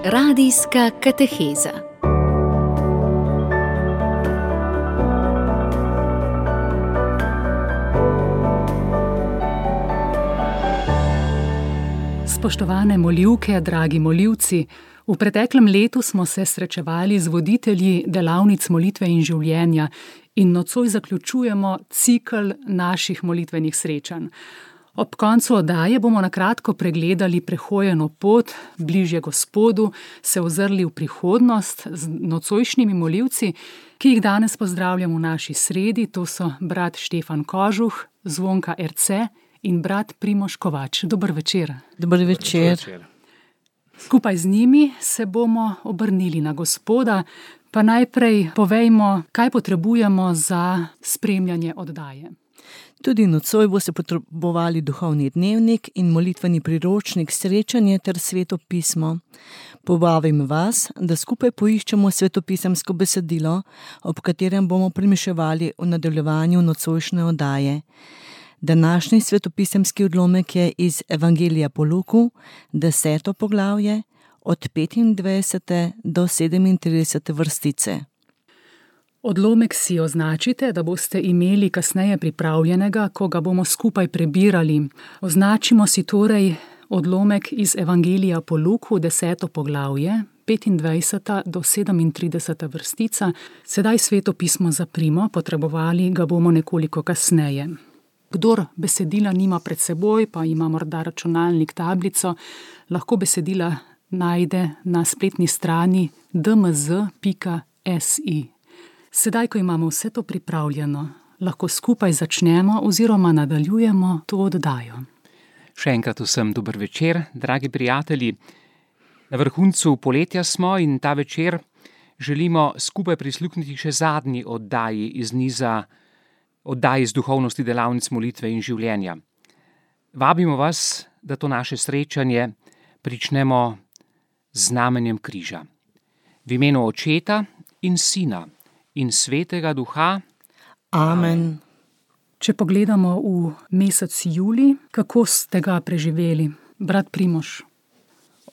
Radijska kateheza. Spoštovane molivke, dragi molivci, v preteklem letu smo se srečevali z voditelji delavnic molitve in življenja in nocoj zaključujemo cikel naših molitvenih srečanj. Ob koncu oddaje bomo na kratko pregledali prehojeno pot bližje Gospodu, se ozrli v prihodnost z nocojšnjimi molivci, ki jih danes pozdravljam v naši sredi. To so brat Štefan Kožuh, Zvonka Erce in brat Primož Kovač. Dober večer. Dober večer. Skupaj z njimi se bomo obrnili na Gospoda, pa najprej povejmo, kaj potrebujemo za spremljanje oddaje. Tudi nocoj boste potrebovali duhovni dnevnik in molitveni priročnik srečanje ter sveto pismo. Povabim vas, da skupaj poiščemo svetopisemsko besedilo, ob katerem bomo premišljevali v nadaljevanju nocojšnje oddaje. Današnji svetopisemski odlomek je iz Evangelija po Luku, 10. poglavje, od 25. do 37. vrstice. Odlomek si označite, da boste imeli kasneje pripravljenega, ko ga bomo skupaj prebirali. Označimo si torej odlomek iz Evangelija po Luku, 10. poglavje, 25. do 37. vrstica. Sedaj sveto pismo zaprimo, potrebovali ga bomo nekoliko kasneje. Kdor besedila nima pred seboj, pa ima morda računalnik, tablico, lahko besedila najde na spletni strani dmz.si. Sedaj, ko imamo vse to pripravljeno, lahko skupaj začnemo oziroma nadaljujemo to oddajo. Še enkrat vsem dober večer, dragi prijatelji. Na vrhuncu poletja smo in ta večer želimo skupaj prisluhniti še zadnji oddaji iz niza oddaji iz duhovnosti delavnic molitve in življenja. Vabimo vas, da to naše srečanje pričnemo z znamenjem križa. V imenu Očeta in Sina in Svetega Duha. Amen. Če pogledamo v mesec julij, kako ste ga preživeli? Brat Primož.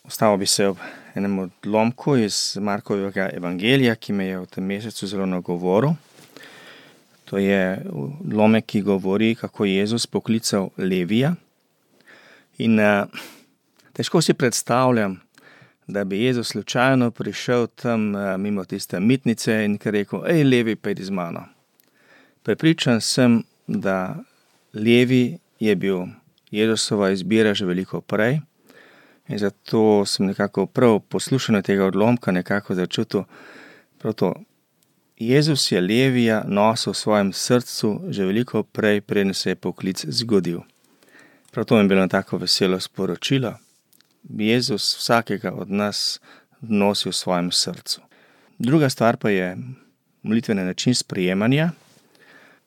Ustavil bi se ob enem odlomku iz Markovega evangelija, ki me je v tem mesecu zelo nagovoril. To je odlomek, ki govori, kako je Jezus poklical Levija. In težko si predstavljam, da bi Jezus slučajno prišel tam mimo tiste mitnice in rekel: "Ej, Levi, pojdi z mano." Prepričan sem, da Levi je bil Jezusova izbira že veliko prej in zato sem nekako prav poslušano tega odlomka nekako začutil prav to. Jezus je Levija nosil v svojem srcu že veliko prej, preden se je poklic zgodil. Prav to mi je bilo tako veselo sporočilo. Jezus vsakega od nas nosi v svojem srcu. Druga stvar pa je molitveni način sprejemanja.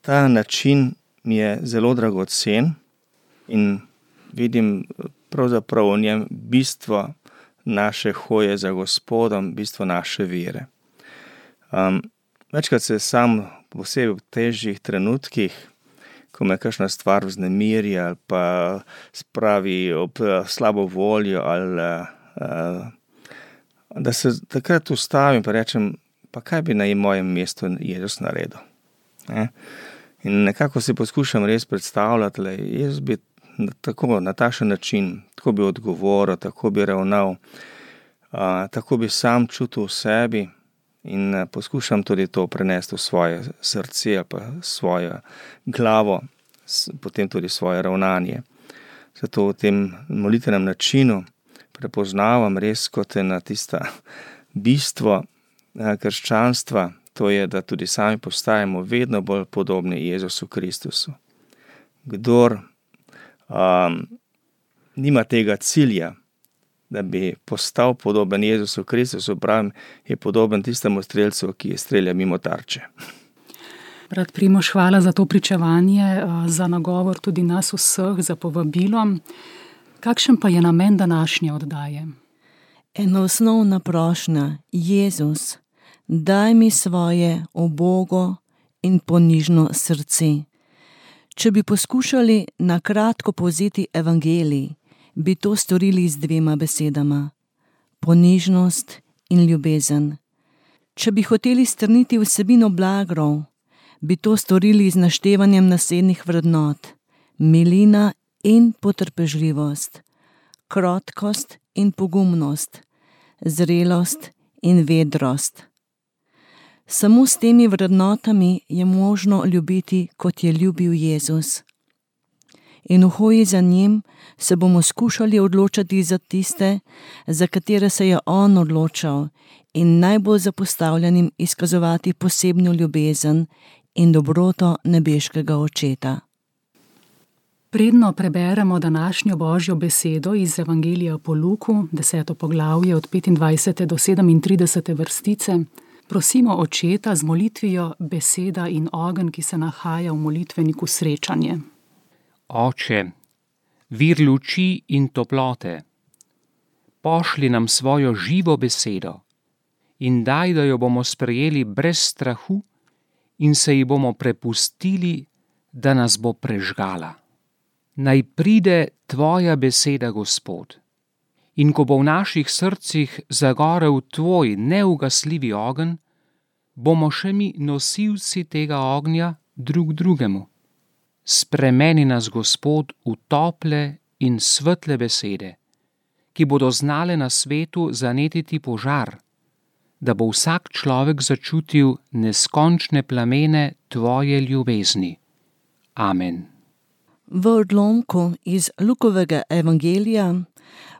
Ta način mi je zelo dragocen in vidim pravzaprav v njem bistvo naše hoje za Gospodom, bistvo naše vere. Večkrat se sam posebej v težjih trenutkih, ko me kakšna stvar vznemirja ali pa spravi ob slabo voljo ali da se takrat ustavim pa rečem, pa kaj bi na mojem mestu Jezus naredil. In nekako si poskušam res predstavljati, da Jezus bi tako na takšen način, tako bi odgovoril, tako bi ravnal, tako bi sam čutil v sebi. In poskušam tudi to prenesti v svoje srce, pa svojo glavo, potem tudi svoje ravnanje. Zato v tem molitvenem načinu prepoznavam res kot ena tista bistvo krščanstva, to je, da tudi sami postajamo vedno bolj podobni Jezusu Kristusu. Kdor nima tega cilja, da bi postal podoben Jezusu Kristusu, pravim, je podoben tistemu strelcu, ki strelja mimo tarče. Brat Primož, hvala za to pričevanje, za nagovor tudi nas vseh, za povabilo. Kakšen pa je namen današnje oddaje? Ena osnovna prošnja: Jezus, daj mi svoje ubogo in ponižno srce. Če bi poskušali na kratko povzeti evangelij, bi to storili z dvema besedama: ponižnost in ljubezen. Če bi hoteli strniti vsebino blagrov, bi to storili z naštevanjem naslednjih vrednot: milina in potrpežljivost, krotkost in pogumnost, zrelost in vedrost. Samo s temi vrednotami je možno ljubiti, kot je ljubil Jezus. In v hoji za njim se bomo skušali odločati za tiste, za katere se je on odločal, in najbolj zapostavljenim izkazovati posebno ljubezen in dobroto nebeškega Očeta. Predno preberemo današnjo Božjo besedo iz Evangelija po Luku, 10. poglavje od 25. do 37. vrstice. Prosimo Očeta z molitvijo beseda in ogenj, ki se nahaja v molitveniku srečanje. Oče, vir luči in toplote, pošli nam svojo živo besedo in daj, da jo bomo sprejeli brez strahu in se ji bomo prepustili, da nas bo prežgala. Naj pride tvoja beseda, Gospod, in ko bo v naših srcih zagorel tvoj neugasljivi ogenj, bomo še mi nosilci tega ognja drug drugemu. Spremeni nas, Gospod, v tople in svetle besede, ki bodo znale na svetu zanetiti požar, da bo vsak človek začutil neskončne plamene tvoje ljubezni. Amen. V odlomku iz Lukovega evangelija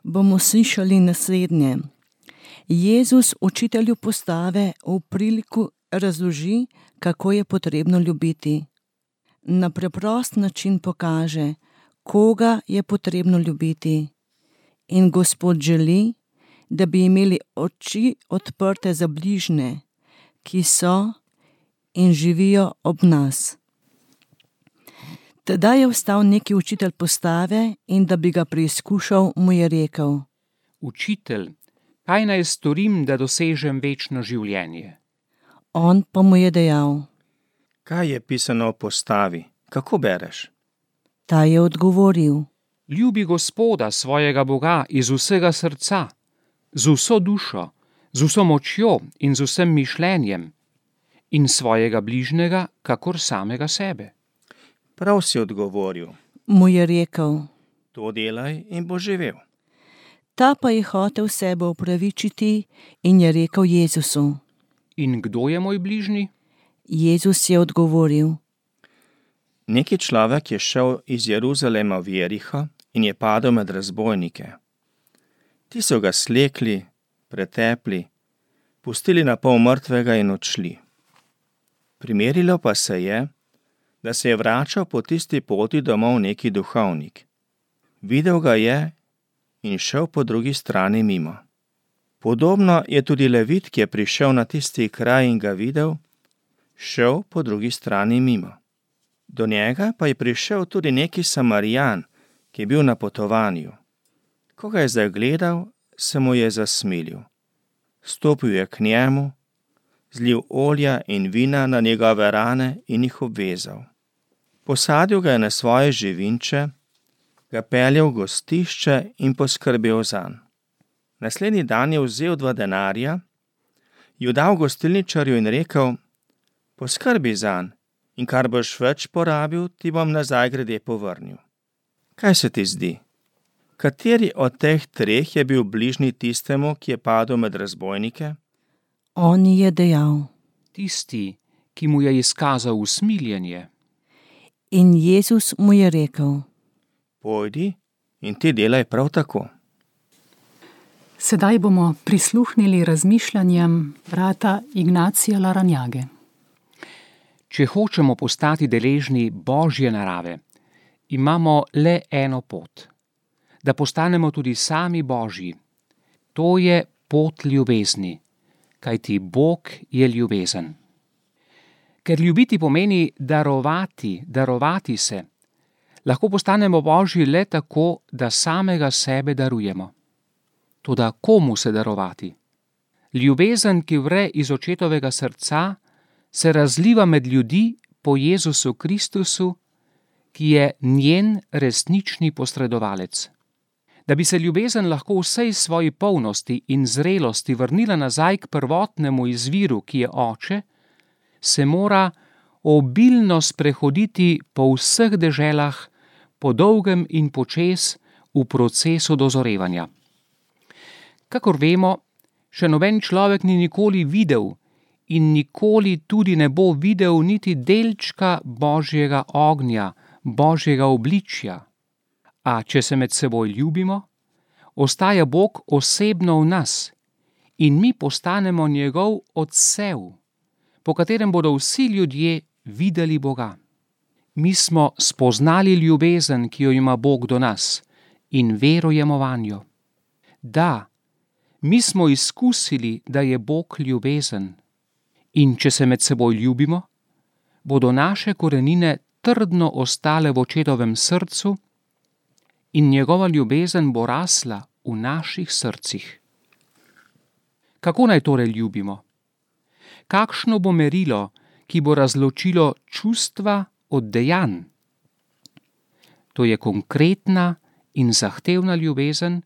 bomo slišali naslednje. Jezus učitelju postave v priliku razloži, kako je potrebno ljubiti. Na preprost način pokaže, koga je potrebno ljubiti. In Gospod želi, da bi imeli oči odprte za bližnje, ki so in živijo ob nas. Tedaj je vstal neki učitelj postave in da bi ga preizkušal, mu je rekel: Učitelj, kaj naj storim, da dosežem večno življenje? On pa mu je dejal: Kaj je pisano o postavi? Kako bereš? Ta je odgovoril: Ljubi Gospoda, svojega Boga, iz vsega srca, z vso dušo, z vso močjo in z vsem mišljenjem, in svojega bližnjega, kakor samega sebe. Prav si odgovoril. Mu je rekel: To delaj in bo živel. Ta pa je hotel sebe opravičiti in je rekel Jezusu: In kdo je moj bližnji? Jezus je odgovoril: Neki človek je šel iz Jeruzalema v Jeriho in je padel med razbojnike. Ti so ga slekli, pretepli, pustili na pol mrtvega in odšli. Primerilo pa se je, da se je vračal po tisti poti domov neki duhovnik. Videl ga je in šel po drugi strani mimo. Podobno je tudi Levit, ki je prišel na tisti kraj in ga videl, šel po drugi strani mimo. Do njega pa je prišel tudi neki Samarijan, ki je bil na potovanju. Ko ga je zagledal, se mu je zasmilil. Stopil je k njemu, zlil olja in vina na njegove rane in jih obvezal. Posadil ga je na svoje živinče, ga peljal v gostišče in poskrbel zanj. Naslednji dan je vzel 2 denarja, ju dal gostilničarju in rekel: Poskrbi zanj, in kar boš več porabil, ti bom nazaj grede povrnil. Kaj se ti zdi? Kateri od teh 3 je bil bližnji tistemu, ki je padel med razbojnike? On je dejal: Tisti, ki mu je izkazal usmiljenje. In Jezus mu je rekel: Pojdi in ti delaj prav tako. Sedaj bomo prisluhnili razmišljanjem brata Ignacija Laranjage. Če hočemo postati deležni Božje narave, imamo le eno pot, da postanemo tudi sami Božji. To je pot ljubezni, kajti Bog je ljubezen. Ker ljubiti pomeni darovati se, lahko postanemo Božji le tako, da samega sebe darujemo. Toda komu se darovati? Ljubezen, ki vre iz Očetovega srca, se razliva med ljudi po Jezusu Kristusu, ki je njen resnični posredovalec. Da bi se ljubezen lahko v vsej svoji polnosti in zrelosti vrnila nazaj k prvotnemu izviru, ki je Oče, se mora obilno sprehoditi po vseh deželah, po dolgem in počez v procesu dozorevanja. Kakor vemo, še noben človek ni nikoli videl in nikoli tudi ne bo videl niti delčka Božjega ognja, Božjega obličja. A če se med seboj ljubimo, ostaja Bog osebno v nas in mi postanemo njegov odsev, po katerem bodo vsi ljudje videli Boga. Mi smo spoznali ljubezen, ki jo ima Bog do nas, in verujemo vanjo. Da, mi smo izkusili, da je Bog ljubezen. In če se med seboj ljubimo, bodo naše korenine trdno ostale v Očetovem srcu in njegova ljubezen bo rasla v naših srcih. Kako naj torej ljubimo? Kakšno bo merilo, ki bo razločilo čustva od dejanj? To je konkretna in zahtevna ljubezen,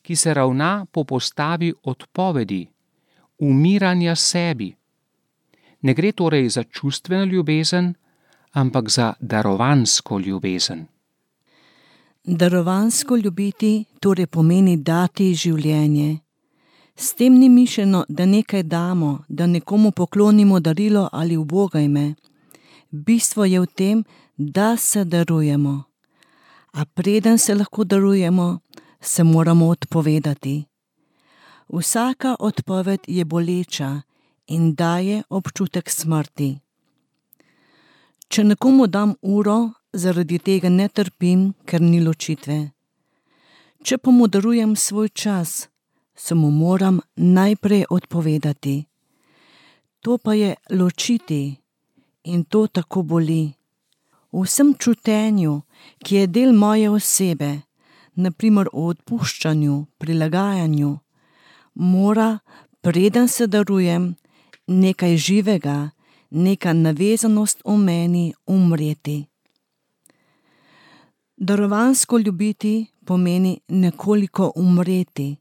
ki se ravna po postavi odpovedi, umiranja sebi. Ne gre torej za čustveno ljubezen, ampak za darovansko ljubezen. Darovansko ljubiti torej pomeni dati življenje. S tem ni mišljeno, da nekaj damo, da nekomu poklonimo darilo ali ubogajme. Bistvo je v tem, da se darujemo. A preden se lahko darujemo, se moramo odpovedati. Vsaka odpoved je boleča in daje občutek smrti. Če nekomu dam uro, zaradi tega ne trpim, ker ni ločitve. Če pa mu darujem svoj čas, se mu moram najprej odpovedati. To pa je ločiti in to tako boli. V vsem čutenju, ki je del moje osebe, naprimer o odpuščanju, prilagajanju, mora, preden se darujem, nekaj živega, neka navezanost v meni umreti. Darovansko ljubiti pomeni nekoliko umreti.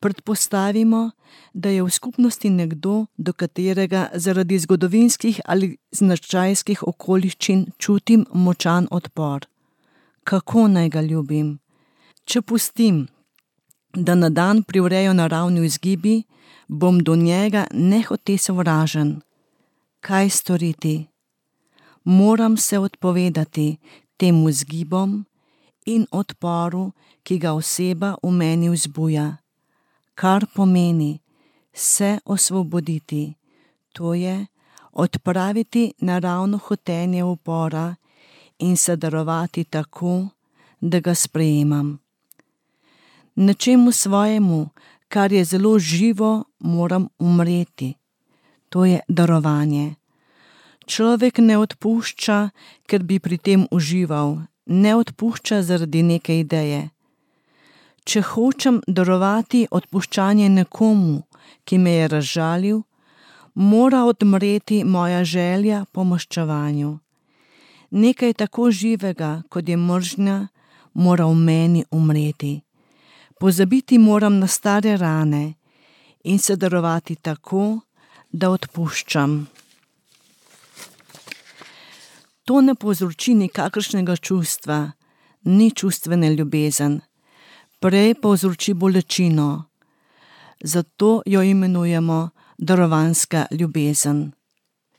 Predpostavimo, da je v skupnosti nekdo, do katerega zaradi zgodovinskih ali značajskih okoliščin čutim močan odpor. Kako naj ga ljubim? Če pustim, da na dan privrejo naravni vzgibi, bom do njega nehote sovražen. Kaj storiti? Moram se odpovedati tem vzgibom in odporu, ki ga oseba v meni vzbuja. Kar pomeni se osvoboditi, to je odpraviti naravno hotenje upora in se darovati tako, da ga sprejemam. Nečemu svojemu, kar je zelo živo, moram umreti. To je darovanje. Človek ne odpušča, ker bi pri tem užival, ne odpušča zaradi neke ideje. Če hočem darovati odpuščanje nekomu, ki me je razžalil, mora odmreti moja želja po maščevanju. Nekaj tako živega, kot je mržnja, mora v meni umreti. Pozabiti moram na stare rane in se darovati tako, da odpuščam. To ne povzroči nikakršnega čustva, ni čustvene ljubezen, prej povzroči bolečino. Zato jo imenujemo darovanska ljubezen.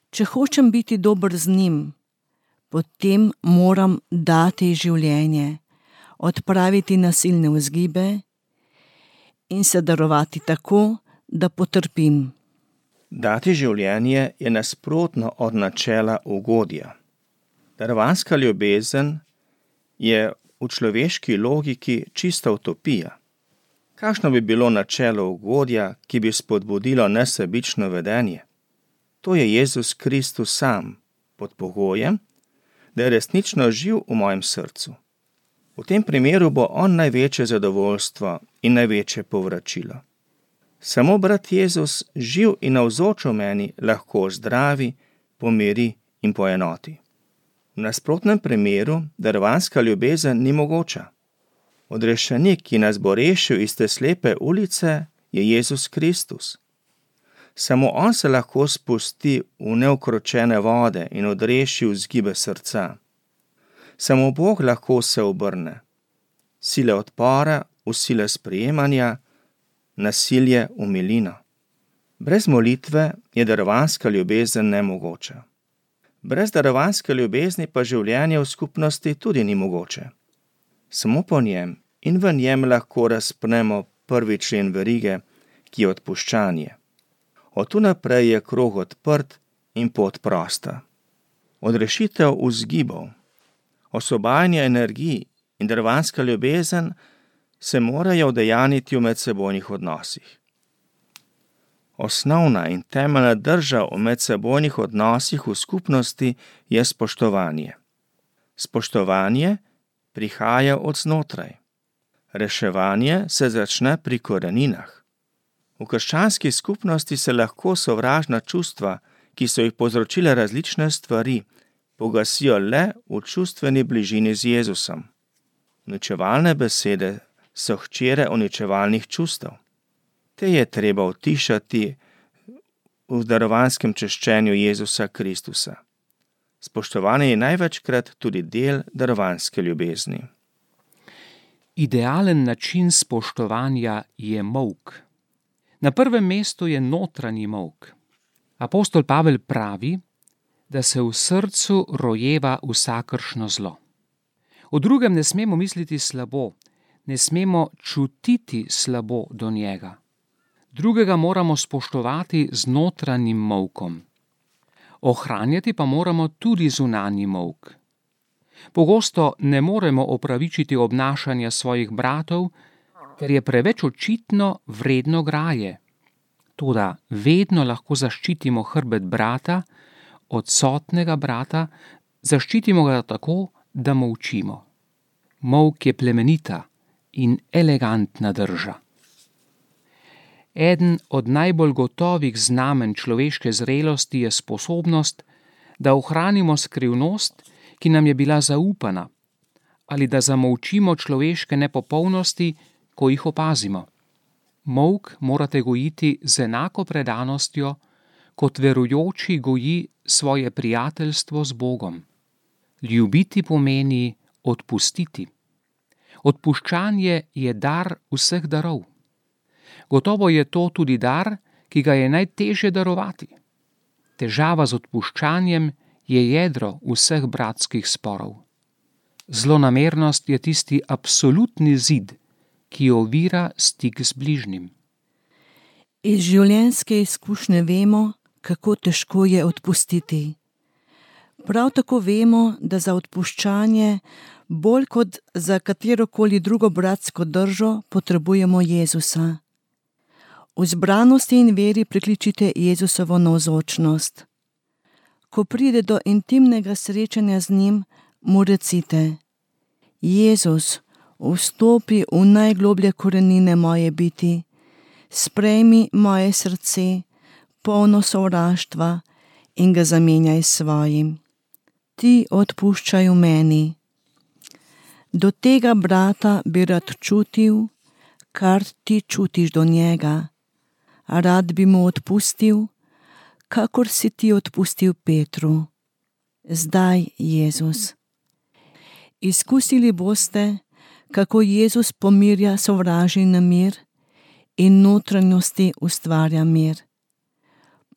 Če hočem biti dober z njim, potem moram dati življenje, odpraviti nasilne vzgibe in se darovati tako, da potrpim. Dati življenje je nasprotno od načela ugodja. Darovanska ljubezen je v človeški logiki čista utopija. Kakšno bi bilo načelo ugodja, ki bi spodbudilo nesebično vedenje? To je Jezus Kristus sam, pod pogojem, da je resnično živ v mojem srcu. V tem primeru bo on največje zadovoljstvo in največje povračilo. Samo brat Jezus, živ in navzoč v meni, lahko zdravi, pomiri in poenoti. V nasprotnem primeru darovanska ljubezen ni mogoča. Odrešenik, ki nas bo rešil iz te slepe ulice, je Jezus Kristus. Samo on se lahko spusti v neukročene vode in odreši vzgibe srca. Samo Bog lahko se obrne. Sile odpora v sile sprejemanja, nasilje v milino. Brez molitve je darovanska ljubezen nemogoča. Brez darovanske ljubezni pa življenje v skupnosti tudi ni mogoče. Samo po njem in v njem lahko razpnemo prvi člen verige, ki je odpuščanje. Od tu naprej je krog odprt in pot prosta. Odrešitev vzgibov, osvobajanje energij in darovanska ljubezen se morajo udejaniti v medsebojnih odnosih. Osnovna in temeljna drža v medsebojnih odnosih v skupnosti je spoštovanje. Spoštovanje prihaja od znotraj. Reševanje se začne pri koreninah. V krščanski skupnosti se lahko sovražna čustva, ki so jih povzročile različne stvari, pogasijo le v čustveni bližini z Jezusom. Uničevalne besede so hčere uničevalnih čustev. Te je treba utišati v darovanskem češčenju Jezusa Kristusa. Spoštovanje je največkrat tudi del darovanske ljubezni. Idealen način spoštovanja je molk. Na prvem mestu je notranji molk. Apostol Pavel pravi, da se v srcu rojeva vsakršno zlo. O drugem ne smemo misliti slabo, ne smemo čutiti slabo do njega. Drugega moramo spoštovati z notranjim molkom. Ohranjati pa moramo tudi zunanji molk. Pogosto ne moremo opravičiti obnašanja svojih bratov, ker je preveč očitno vredno graje. Toda vedno lahko zaščitimo hrbet brata, odsotnega brata, zaščitimo ga tako, da molčimo. Molk je plemenita in elegantna drža. Eden od najbolj gotovih znamen človeške zrelosti je sposobnost, da ohranimo skrivnost, ki nam je bila zaupana, ali da zamolčimo človeške nepopolnosti, ko jih opazimo. Molk morate gojiti z enako predanostjo, kot verujoči goji svoje prijateljstvo z Bogom. Ljubiti pomeni odpustiti. Odpuščanje je dar vseh darov. Gotovo je to tudi dar, ki ga je najtežje darovati. Težava z odpuščanjem je jedro vseh bratskih sporov. Zlonamernost je tisti absolutni zid, ki ovira stik z bližnjim. Iz življenjske izkušnje vemo, kako težko je odpustiti. Prav tako vemo, da za odpuščanje bolj kot za katerokoli drugo bratsko držo potrebujemo Jezusa. V zbranosti in veri prikličite Jezusovo navzočnost. Ko pride do intimnega srečanja z njim, mu recite: Jezus, vstopi v najgloblje korenine moje biti, sprejmi moje srce, polno sovraštva, in ga zamenjaj s svojim. Ti odpuščaj v meni. Do tega brata bi rad čutil, kar ti čutiš do njega. Rad bi mu odpustil, kakor si ti odpustil Petru. Zdaj, Jezus. Izkusili boste, kako Jezus pomirja sovražni nemir in notranjosti ustvarja mir.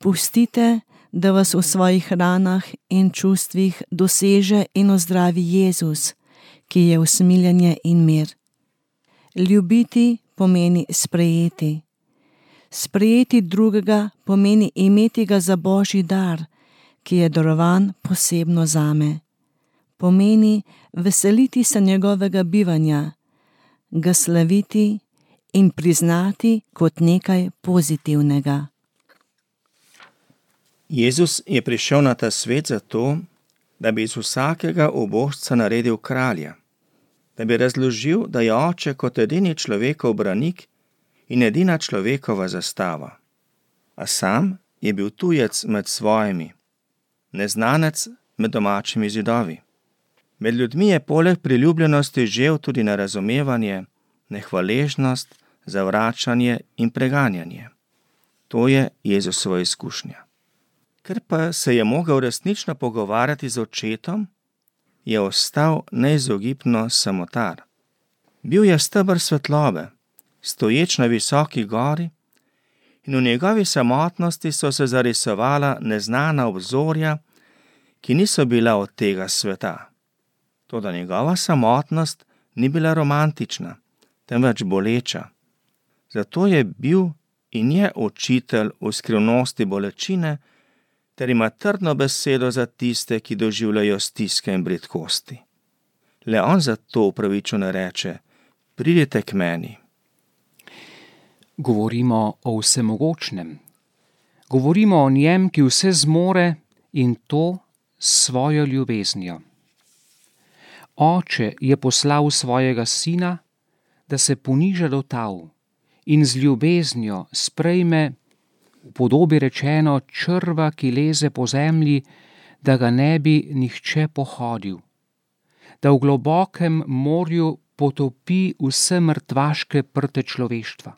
Pustite, da vas v svojih ranah in čustvih doseže in ozdravi Jezus, ki je usmiljenje in mir. Ljubiti pomeni sprejeti. Sprejeti drugega pomeni imeti ga za Božji dar, ki je darovan posebno zame. Pomeni veseliti se njegovega bivanja, ga slaviti in priznati kot nekaj pozitivnega. Jezus je prišel na ta svet zato, da bi iz vsakega ubožca naredil kralja, da bi razložil, da je Oče kot edini človekov branik in edina človekova zastava. A sam je bil tujec med svojimi, neznanec med domačimi zidovi. Med ljudmi je poleg priljubljenosti žel tudi nerazumevanje, nehvaležnost, zavračanje in preganjanje. To je Jezusova izkušnja. Ker pa se je mogel resnično pogovarjati z očetom, je ostal neizogibno samotar. Bil je steber svetlobe, stoječ na visoki gori, in v njegovi samotnosti so se zarisovala neznana obzorja, ki niso bila od tega sveta. Toda njegova samotnost ni bila romantična, temveč boleča. Zato je bil in je učitelj v skrivnosti bolečine, ter ima trdno besedo za tiste, ki doživljajo stiske in bridkosti. Le on zato upravičeno reče: pridite k meni. Govorimo o vsemogočnem. Govorimo o njem, ki vse zmore, in to s svojo ljubeznijo. Oče je poslal svojega sina, da se poniža do tal in z ljubeznijo sprejme, v podobi rečeno, črva, ki leze po zemlji, da ga ne bi nihče pohodil, da v globokem morju potopi vse mrtvaške prte človeštva,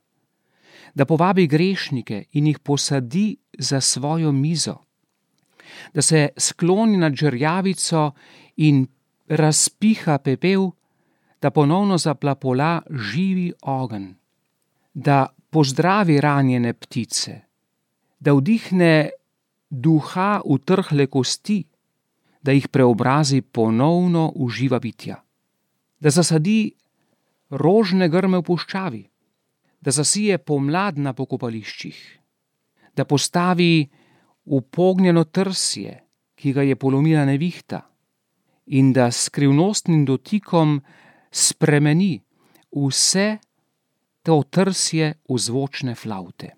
da povabi grešnike in jih posadi za svojo mizo, da se skloni nad žerjavico in razpiha pepel, da ponovno zaplapola živi ogenj, da pozdravi ranjene ptice, da vdihne duha v trhle kosti, da jih preobrazi ponovno v živa bitja, da zasadi rožne grme v puščavi, da zasije pomlad na pokopališčih, da postavi upognjeno trsje, ki ga je polomila nevihta, in da s skrivnostnim dotikom spremeni vse to trsje v zvočne flavte.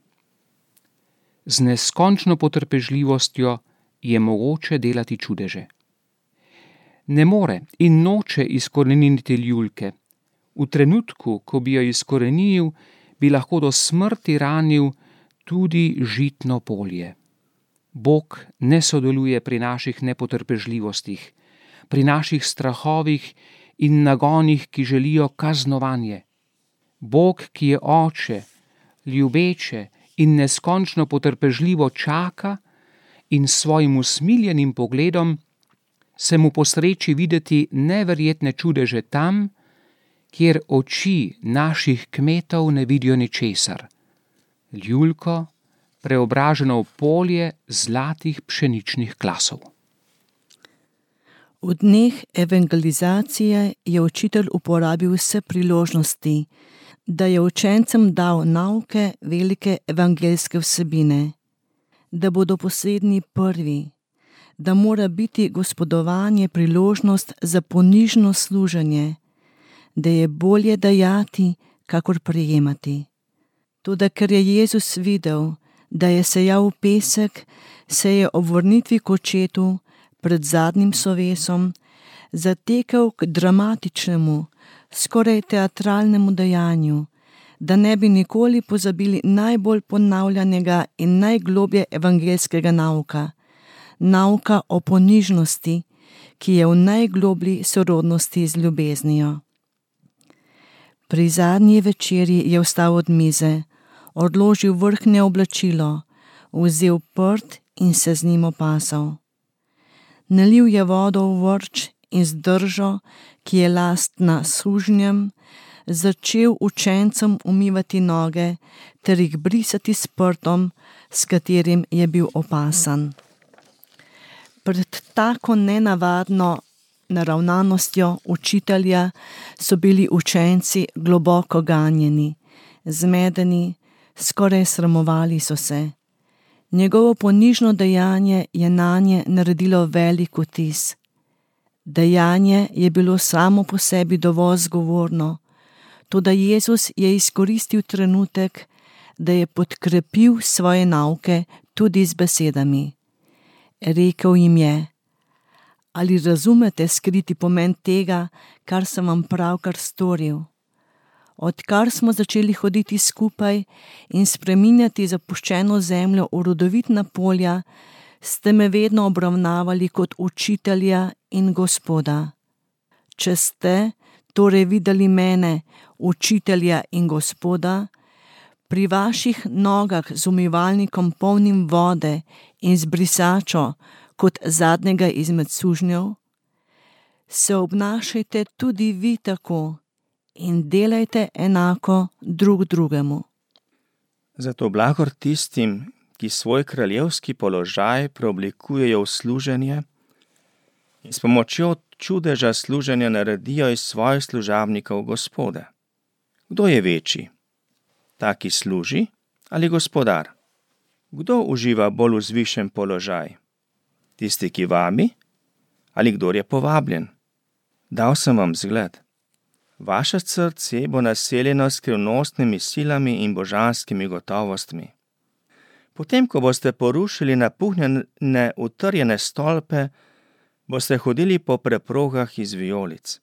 Z neskončno potrpežljivostjo je mogoče delati čudeže. Ne more in noče izkoreniniti ljulke. V trenutku, ko bi jo izkoreninil, bi lahko do smrti ranil tudi žitno polje. Bog ne sodeluje pri naših nepotrpežljivostih, pri naših strahovih in nagonih, ki želijo kaznovanje. Bog, ki je oče, ljubeče in neskončno potrpežljivo čaka in s svojim usmiljenim pogledom se mu posreči videti neverjetne čudeže tam, kjer oči naših kmetov ne vidijo ničesar. Ljulko, preobraženo v polje zlatih pšeničnih klasov. V dneh evangelizacije je učitelj uporabil vse priložnosti, da je učencem dal nauke velike evangeljske vsebine, da bodo posredni prvi, da mora biti gospodovanje priložnost za ponižno služenje, da je bolje dajati, kakor prejemati. Toda ker je Jezus videl, da je sejal pesek, se je ob vrnitvi k očetu pred zadnjim slovesom zatekel k dramatičnemu, skoraj teatralnemu dejanju, da ne bi nikoli pozabili najbolj ponavljanega in najgloblje evangeljskega nauka, nauka o ponižnosti, ki je v najgloblji sorodnosti z ljubeznijo. Pri zadnji večerji je vstal od mize, odložil vrhnje oblačilo, vzel prt in se z njim opasal. Nalil je vodo v vrč in z držo, ki je lastna sužnjem, začel učencem umivati noge ter jih brisati s prtom, s katerim je bil opasan. Pred tako nenavadno naravnanostjo učitelja so bili učenci globoko ganjeni, zmedeni, skoraj sramovali so se. Njegovo ponižno dejanje je nanje naredilo velik vtis. Dejanje je bilo samo po sebi dovolj zgovorno, toda Jezus je izkoristil trenutek, da je podkrepil svoje nauke tudi z besedami. Rekel jim je: ali razumete skriti pomen tega, kar sem vam pravkar storil? Odkar smo začeli hoditi skupaj in spreminjati zapuščeno zemljo v rodovitna polja, ste me vedno obravnavali kot učitelja in Gospoda. če ste torej videli mene, učitelja in Gospoda, pri vaših nogah z umivalnikom polnim vode in z brisačo kot zadnjega izmed sužnjev, se obnašajte tudi vi tako in delajte enako drug drugemu. Zato blagor tistim, ki svoj kraljevski položaj preoblikujejo v služenje in s pomočjo čudeža služenja naredijo iz svojih služabnikov Gospode. Kdo je večji? Ta, ki služi, ali gospodar? Kdo uživa bolj vzvišen položaj? Tisti, ki vabi, ali kdor je povabljen? Dal sem vam zgled. Vaše srce bo naseljeno s skrivnostnimi silami in božanskimi gotovostmi. Potem, ko boste porušili napuhnjene utrjene stolpe, boste hodili po preprogah iz vijolic.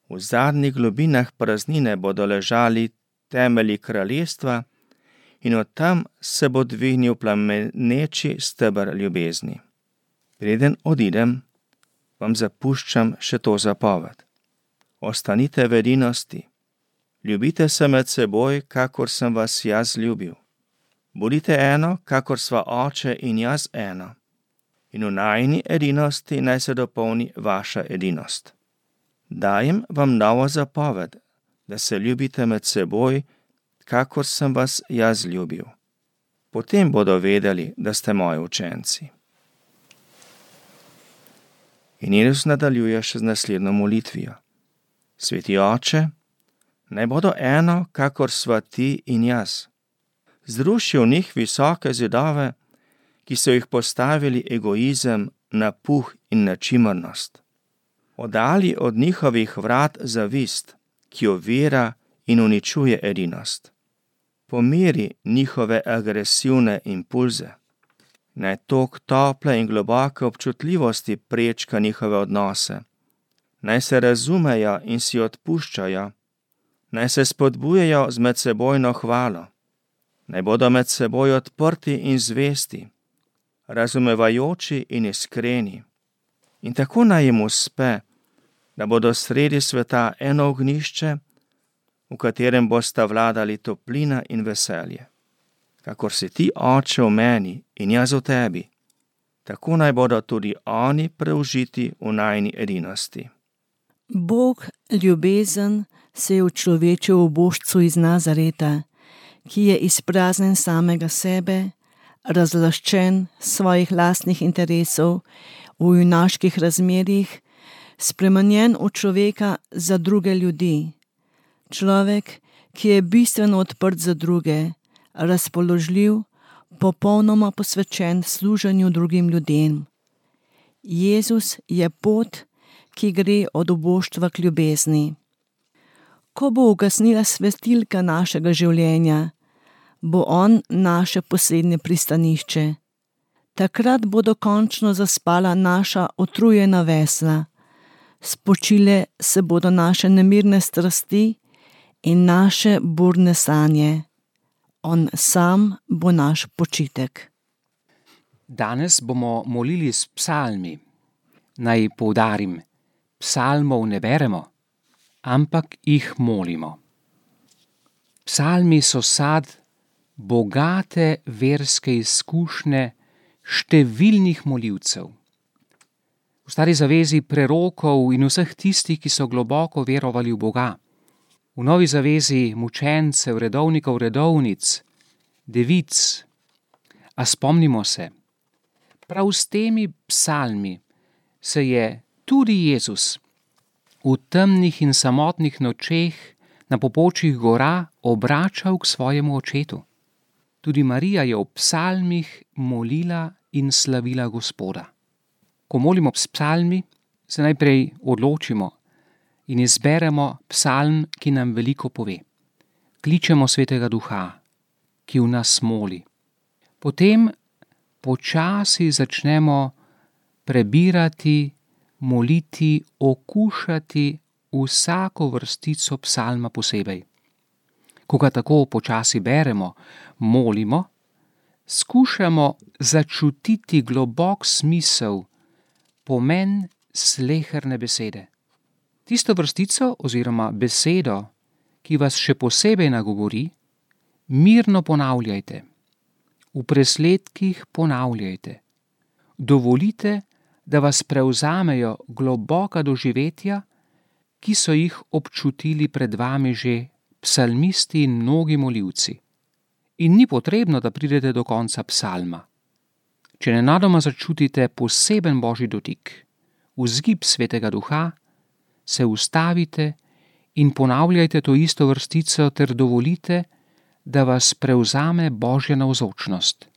V zadnjih globinah praznine bodo ležali temelji kraljestva in od tam se bo dvignil plameneči steber ljubezni. Preden odidem, vam zapuščam še to zapoved. Ostanite v edinosti. Ljubite se med seboj, kakor sem vas jaz ljubil. Bodite eno, kakor sva oče in jaz eno. In v najini edinosti naj se dopolni vaša edinost. Dajem vam novo zapoved, da se ljubite med seboj, kakor sem vas jaz ljubil. Potem bodo vedeli, da ste moji učenci. In Jezus nadaljuje še z naslednjo molitvijo. Sveti Oče, naj bodo eno, kakor sva ti in jaz. Zruši v njih visoke zidove, ki so jih postavili egoizem, napuh in nečimrnost. Oddali od njihovih vrat zavist, ki ovira in uničuje edinost. Pomiri njihove agresivne impulze. Naj tok tople in globoke občutljivosti prečka njihove odnose. Naj se razumejo in si odpuščajo. Naj se spodbujajo z medsebojno hvalo. Naj bodo med seboj odprti in zvesti, razumevajoči in iskreni. In tako naj jim uspe, da bodo sredi sveta eno ognjišče, v katerem bosta vladali toplina in veselje. Kakor si ti, Oče, v meni in jaz v tebi, tako naj bodo tudi oni preužiti v najini edinosti. Bog, ljubezen, se je učlovečil v božcu iz Nazareta, ki je izpraznjen samega sebe, razlaščen svojih lastnih interesov v junaških razmerjih, spremenjen v človeka za druge ljudi. Človek, ki je bistveno odprt za druge, razpoložljiv, popolnoma posvečen služenju drugim ljudem. Jezus je pot, ki gre od oboštva k ljubezni. Ko bo ugasnila svetilka našega življenja, bo on naše poslednje pristanišče. Takrat bodo končno zaspala naša utrujena vesla, spočile se bodo naše nemirne strasti in naše burne sanje. On sam bo naš počitek. Danes bomo molili s psalmi. Naj poudarim, psalmov ne beremo, ampak jih molimo. Psalmi so sad bogate verske izkušnje številnih molivcev. V Stari zavezi prerokov in vseh tistih, ki so globoko verovali v Boga. V Novi zavezi mučencev, redovnikov, redovnic, devic. A spomnimo se, prav s temi psalmi se je tudi Jezus v temnih in samotnih nočeh na pobočjih gora obračal k svojemu očetu. Tudi Marija je v psalmih molila in slavila Gospoda. Ko molimo s psalmi, se najprej odločimo in izberemo psalm, ki nam veliko pove. Kličemo Svetega Duha, ki v nas moli. Potem počasi začnemo prebirati, moliti, okušati vsako vrstico psalma posebej. Ko ga tako počasi beremo, molimo, skušamo začutiti globok smisel, pomen sleherne besede. Tisto vrstico oziroma besedo, ki vas še posebej nagovori, mirno ponavljajte. V presledkih ponavljajte. Dovolite, da vas prevzamejo globoka doživetja, ki so jih občutili pred vami že psalmisti in mnogi molivci. In ni potrebno, da pridete do konca psalma. Če nenadoma začutite poseben božji dotik, vzgib Svetega Duha, se ustavite in ponavljajte to isto vrstico ter dovolite, da vas prevzame božja navzočnost.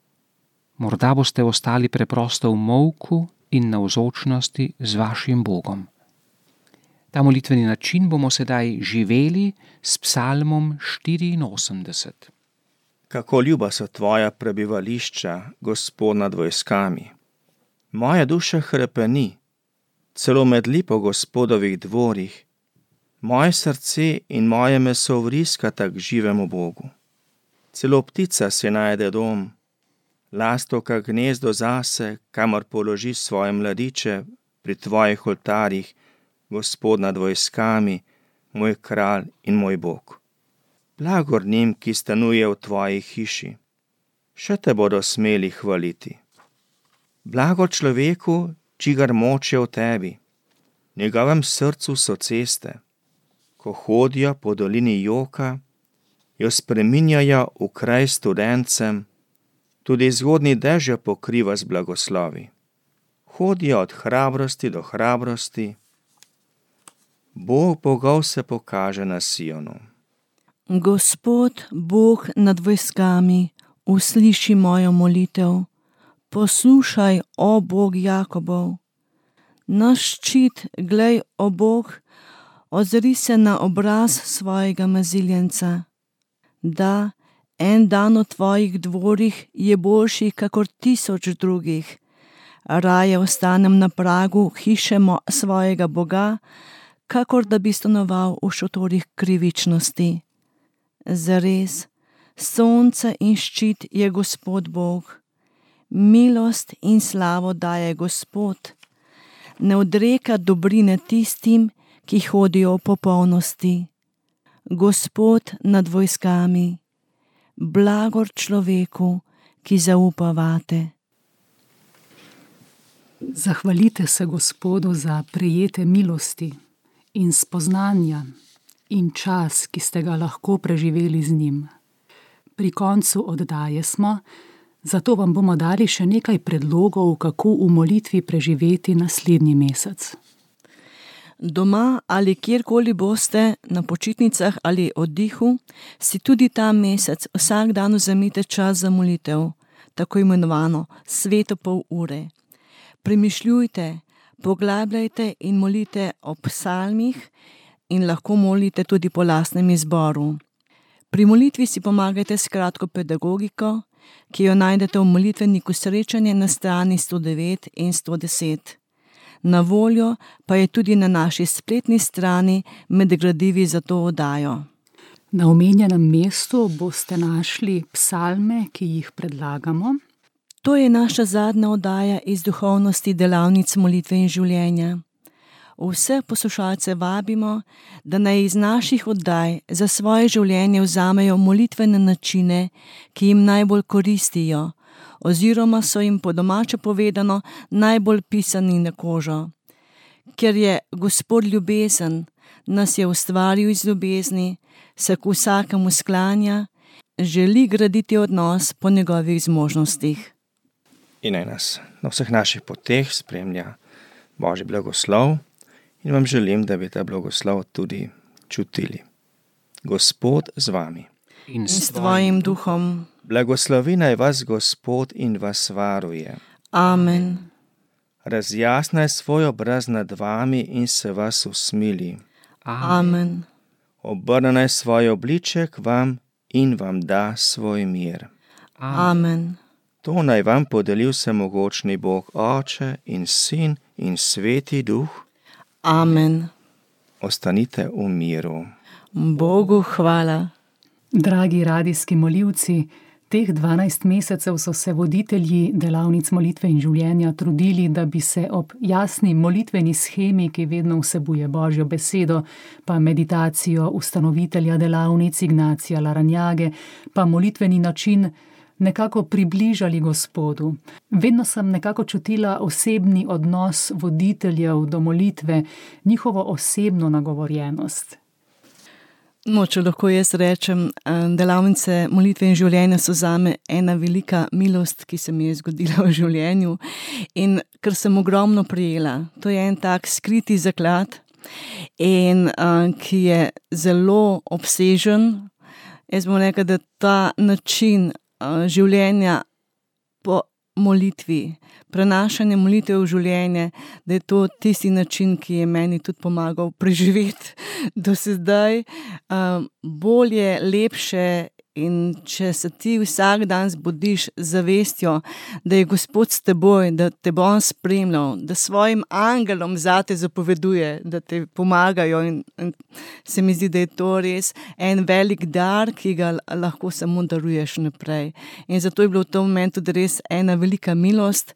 Morda boste ostali preprosto v molku in navzočnosti z vašim Bogom. Ta molitveni način bomo sedaj živeli s psalmom 84. Kako ljuba so tvoja prebivališča, Gospod nad vojskami. Moja duša hrepeni, celo med lipo Gospodovih dvorih. Moje srce in moje meso vriskata k živemu Bogu. Celo ptica si najde dom, lastovka gnezdo zase, kamor položi svoje mladiče pri tvojih oltarjih, Gospod nad vojskami, moj kralj in moj Bog. Blagor njim, ki stanuje v tvoji hiši, še te bodo smeli hvaliti. Blago človeku, čigar moč je v tebi, njegovem srcu so ceste, ko hodijo po dolini joka, jo spreminjajo v kraj studencem, tudi zgodnji dež jo pokriva z blagoslovi. Hodijo od hrabrosti do hrabrosti, Bog bogov se pokaže na Sionu. Gospod, Bog nad vojskami, usliši mojo molitev. Poslušaj, o Bog Jakobov. Naš ščit, glej, o Bog, ozri se na obraz svojega maziljenca. Da, en dan v tvojih dvorih je boljši kakor 1000 drugih. Raje ostanem na pragu hiše svojega Boga, kakor da bi stanoval v šotorih krivičnosti. Zares, sonce in ščit je Gospod Bog. Milost in slavo daje Gospod. Ne odreka dobrine tistim, ki hodijo v popolnosti. Gospod nad vojskami, blagor človeku, ki zaupa vate. Zahvalite se Gospodu za prejete milosti in spoznanja in čas, ki ste ga lahko preživeli z njim. Pri koncu oddaje smo, zato vam bomo dali še nekaj predlogov, kako v molitvi preživeti naslednji mesec. Doma ali kjerkoli boste, na počitnicah ali oddihu, si tudi ta mesec vsak dan vzemite čas za molitev, tako imenovano sveto pol ure. Premišljujte, poglabljajte in molite o psalmih in lahko molite tudi po lastnem izboru. Pri molitvi si pomagajte s kratko pedagogiko, ki jo najdete v molitveniku Srečanje na strani 109 in 110. Na voljo pa je tudi na naši spletni strani med gradivi za to oddajo. Na omenjenem mestu boste našli psalme, ki jih predlagamo. To je naša zadnja oddaja iz duhovnosti delavnic molitve in življenja. Vse poslušalce vabimo, da naj iz naših oddaj za svoje življenje vzamejo molitvene načine, ki jim najbolj koristijo, oziroma so jim po domače povedano najbolj pisani na kožo. Ker je Gospod ljubezen, nas je ustvaril iz ljubezni, se k vsakemu sklanja, želi graditi odnos po njegovih zmožnostih. In naj nas na vseh naših poteh spremlja Božji blagoslov in vam želim, da bi ta blagoslov tudi čutili. Gospod z vami. In s tvojim duhom. Blagoslovi naj vas Gospod in vas varuje. Amen. Razjasnaj svoj obraz nad vami in se vas usmili. Amen. Obrne naj svoj obliček vam in vam da svoj mir. Amen. To naj vam podeli vsemogočni Bog, Oče in Sin in Sveti Duh. Amen. Ostanite v miru. Bogu hvala. Dragi radijski molivci, Teh 12 mesecev so se voditelji delavnic molitve in življenja trudili, da bi se ob jasni molitveni shemi, ki vedno vsebuje Božjo besedo, pa meditacijo ustanovitelja delavnic Ignacija Larrañage, pa molitveni način, nekako približali Gospodu. Vedno sem nekako čutila osebni odnos voditeljev do molitve, njihovo osebno nagovorjenost. No, če lahko jaz rečem, delavnice molitve in življenja so zame ena velika milost, ki se mi je zgodila v življenju in ker sem ogromno prijela. To je en tak skriti zaklad in ki je zelo obsežen. Jaz bom rekla, da ta način življenja po molitvi, prenašanje molitve v življenje, da je to tisti način, ki je meni tudi pomagal preživeti do sedaj. Bolje, lepše in če se ti vsak dan zbudiš z zavestjo, da je Gospod s teboj, da te bo on spremljal, da svojim angelom zate zapoveduje, da te pomagajo in se mi zdi, da je to res en velik dar, ki ga lahko samo daruješ naprej. In zato je bilo v tem momentu res ena velika milost.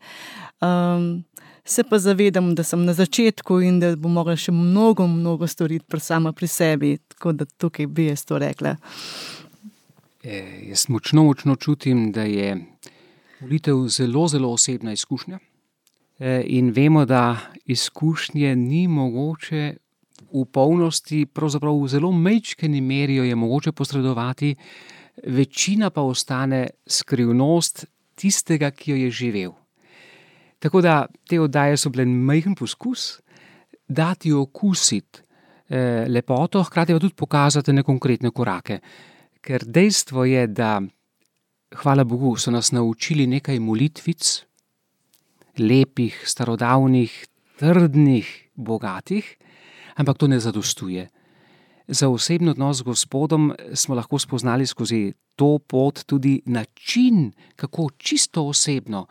Se pa zavedam, da sem na začetku in da bom mogla še mnogo storiti sama pri sebi, tako da tukaj bi jaz to rekla. Jaz močno čutim, da je molitev zelo osebna izkušnja in vemo, da izkušnje ni mogoče v polnosti, pravzaprav v zelo majčkeni meri jo je mogoče posredovati, večina pa ostane skrivnost tistega, ki jo je živel. Tako da te oddaje so bile majhen poskus, dati okusiti lepoto, hkrati pa tudi pokazati na konkretne korake. Ker dejstvo je, da, hvala Bogu, so nas naučili nekaj molitvic, lepih, starodavnih, trdnih, bogatih, ampak to ne zadostuje. Za osebni odnos z Gospodom smo lahko spoznali skozi to pot tudi način, kako čisto osebno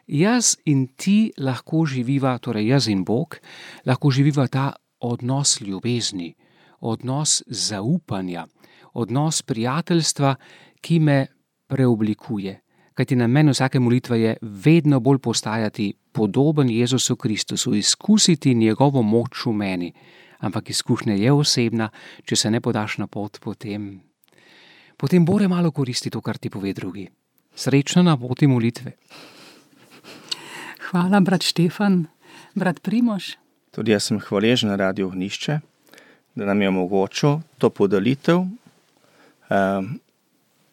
jaz in ti lahko živiva, torej jaz in Bog, lahko živiva ta odnos ljubezni, odnos zaupanja, odnos prijateljstva, ki me preoblikuje. Kajti namen vsake molitve je vedno bolj postajati podoben Jezusu Kristusu, izkusiti njegovo moč v meni. Ampak izkušnja je osebna, če se ne podaš na pot, potem bore malo koristi to, kar ti pove drugi. Srečno na poti molitve. Hvala, brat Štefan. Brat Primož. Tudi jaz sem hvaležen Radiu Ognjišče, da nam je omogočil to podelitev.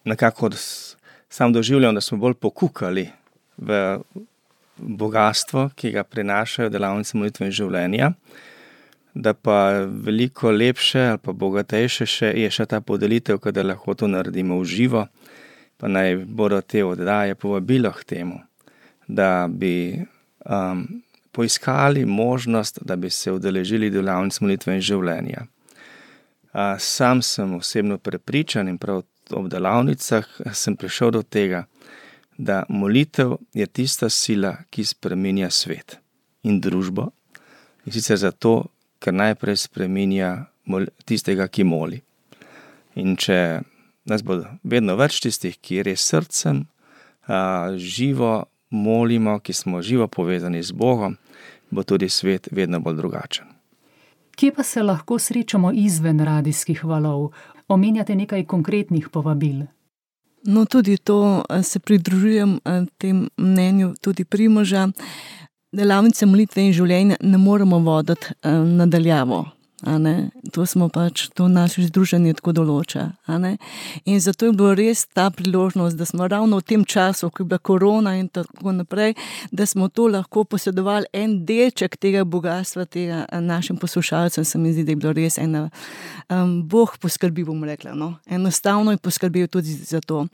Nekako sam doživljam, da smo bolj pokukali v bogatstvo, ki ga prinašajo delavnice molitve in življenja, da pa veliko lepše ali pa bogatejše je še ta podelitev, kada lahko to naredimo v živo, pa naj bodo te oddaje povabilo k temu, da bi poiskali možnost, da bi se udeležili delavnic molitve in življenja. Sam sem osebno prepričan in prav ob delavnicah sem prišel do tega, da molitev je tista sila, ki spreminja svet in družbo. In sicer zato, ker najprej spreminja tistega, ki moli. In če nas bo vedno več tistih, ki res srcem živo molimo, ki smo živo povezani z Bogom, bo tudi svet vedno bolj drugačen. Kje pa se lahko srečamo izven radijskih valov? Omenjate nekaj konkretnih povabil. No, tudi to se pridružujem tem mnenju tudi Primoža. Delavnice molitve in življenja ne moremo voditi nadaljavo. To naše združenje tako določa. In zato je bilo res ta priložnost, da smo ravno v tem času, ko je bila korona in tako naprej, da smo to lahko posedovali en delček tega bogatstva, tega našim poslušalcem. Se mi zdi, da je bilo res Bog poskrbil, bom rekla. Enostavno je poskrbel tudi za to.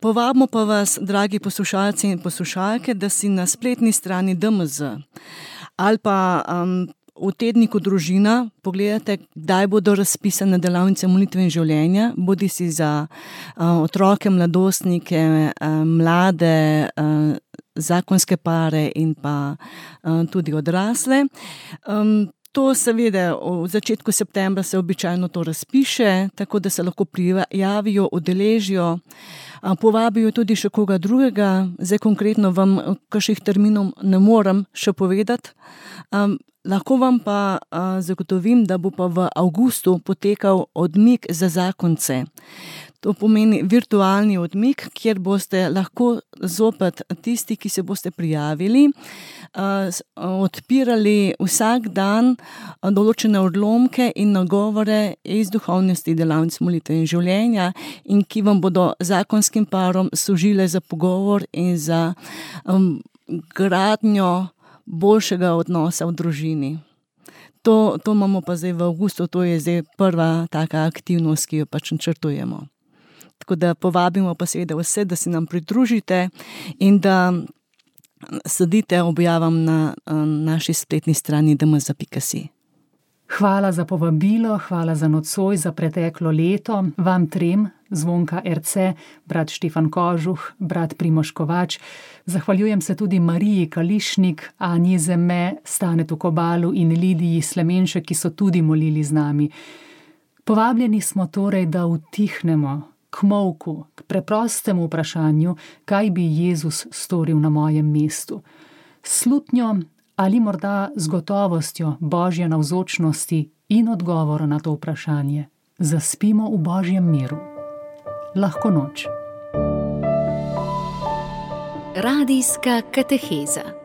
Povabimo pa vas, dragi poslušalci in poslušalke, da si na spletni strani DMZ ali pa v tedniku Družina pogledate, kdaj bodo razpisane delavnice molitve in življenja, bodi si za otroke, mladostnike, mlade, zakonske pare in pa tudi odrasle. To seveda v začetku septembra se običajno to razpiše, tako da se lahko prijavijo, udeležijo, povabijo tudi še koga drugega. Zdaj konkretno vam kakšnih terminov ne morem še povedati. Lahko vam pa zagotovim, da bo pa v avgustu potekal odmik za zakonce. To pomeni virtualni odmik, kjer boste lahko zopet tisti, ki se boste prijavili, odpirali vsak dan določene odlomke in nagovore iz duhovnosti delavnic molitve in življenja, in ki vam bodo zakonskim parom služile za pogovor in za gradnjo boljšega odnosa v družini. To imamo pa zdaj v avgustu, to je zdaj prva taka aktivnost, ki jo pač načrtujemo. Tako da povabimo pa seveda vse, da se nam pridružite in da sledite objavam na naši spletni strani dmz.si. Hvala za povabilo, hvala za nocoj, za preteklo leto. Vam trem, Zvonka Erce, brat Štefan Kožuh, brat Primož Kovač. Zahvaljujem se tudi Mariji Kališnik, Anji Zeme, Stanetu Kobalu in Lidiji Slemenšek, ki so tudi molili z nami. Povabljeni smo torej, da utihnemo k molku, k preprostemu vprašanju, kaj bi Jezus storil na mojem mestu. Slutnjo ali morda z gotovostjo Božje navzočnosti in odgovora na to vprašanje. Zaspimo v Božjem miru. Lahko noč. Radijska kateheza.